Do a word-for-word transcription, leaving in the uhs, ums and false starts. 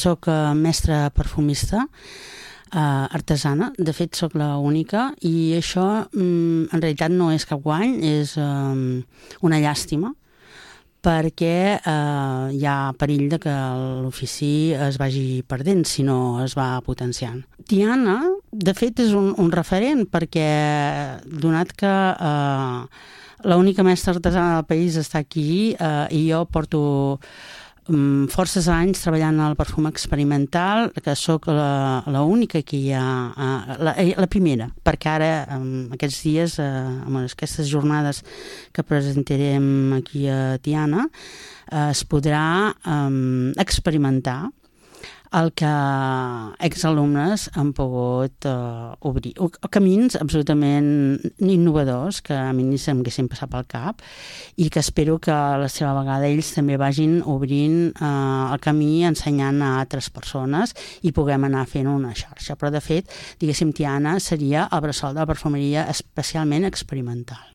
soc mestra perfumista, Uh, artesana, de fet sóc l'única, i això um, en realitat no és cap guany, és um, una llàstima, perquè uh, hi ha perill de que l'ofici es vagi perdent si no es va potenciant. Tiana, de fet, és un, un referent, perquè donat que uh, l'única mestra artesana del país està aquí uh, i jo porto forces anys treballant al perfum experimental, que sóc l'única que hi ha, la, la primera, perquè ara, aquests dies, amb aquestes jornades que presentarem aquí a Tiana, es podrà um, experimentar el que exalumnes han pogut uh, obrir. O, camins absolutament innovadors que a mi ni se'm haguessin passat pel cap i que espero que a la seva vegada ells també vagin obrint uh, el camí, ensenyant a altres persones i puguem anar fent una xarxa. Però, de fet, diguéssim, Tiana seria el bressol de la perfumeria especialment experimental.